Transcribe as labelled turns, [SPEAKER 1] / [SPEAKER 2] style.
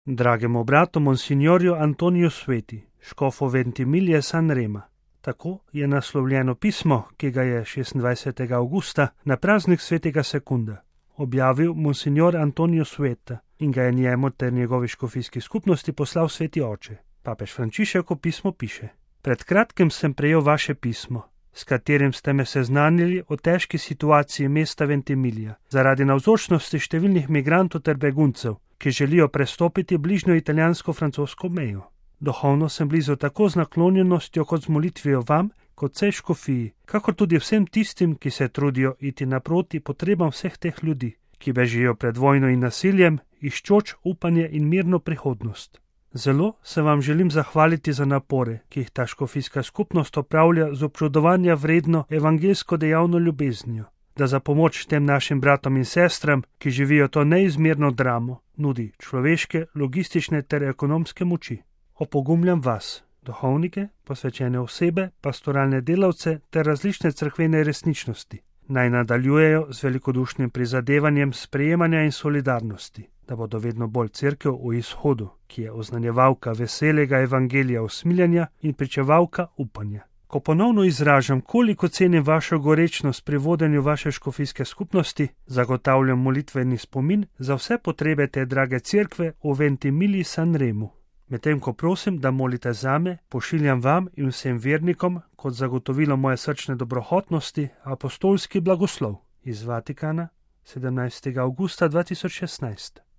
[SPEAKER 1] Dragemu bratu Monsignorju Antoniju Sveti, škofu Ventimiglia San Rema. Tako je naslovljeno pismo, ki ga je 26. avgusta na praznik svetega Sekunda objavil Monsignor Antonio Sveta in ga je njemu ter njegovi škofijski skupnosti poslal sveti oče. Papež Frančišek v pismu piše: Pred kratkim sem prejel vaše pismo, s katerim ste me seznanili o težki situaciji mesta Ventimiglia zaradi navzočnosti številnih migrantov ter beguncev, ki želijo prestopiti bližnjo italijansko-francosko mejo. Duhovno sem blizu tako z naklonjenostjo kot z molitvijo vam, kot vsej škofiji, kakor tudi vsem tistim, ki se trudijo iti naproti potrebam vseh teh ljudi, ki bežijo pred vojno in nasiljem, iščoč upanje in mirno prihodnost. Zelo se vam želim zahvaliti za napore, ki jih ta škofijska skupnost opravlja z občudovanja vredno evangelsko dejavno ljubeznijo, da za pomoč tem našim bratom in sestram, ki živijo to neizmerno dramo, nudi človeške, logistične ter ekonomske moči. Opogumljam vas, duhovnike, posvečene osebe, pastoralne delavce ter različne cerkvene resničnosti, naj nadaljujejo z velikodušnim prizadevanjem sprejemanja in solidarnosti, da bodo vedno bolj cerkev v izhodu, ki je oznanjevalka veselega evangelija usmiljanja in pričevalka upanja. Ko ponovno izražam, koliko cenim vašo gorečnost pri vodenju vaše škofijske skupnosti, zagotavljam molitveni spomin za vse potrebe te drage cerkve v Ventimigli San Remu. Medtem ko prosim, da molite zame, pošiljam vam in vsem vernikom kot zagotovilo moje srčne dobrohotnosti apostolski blagoslov iz Vatikana 17. avgusta 2016.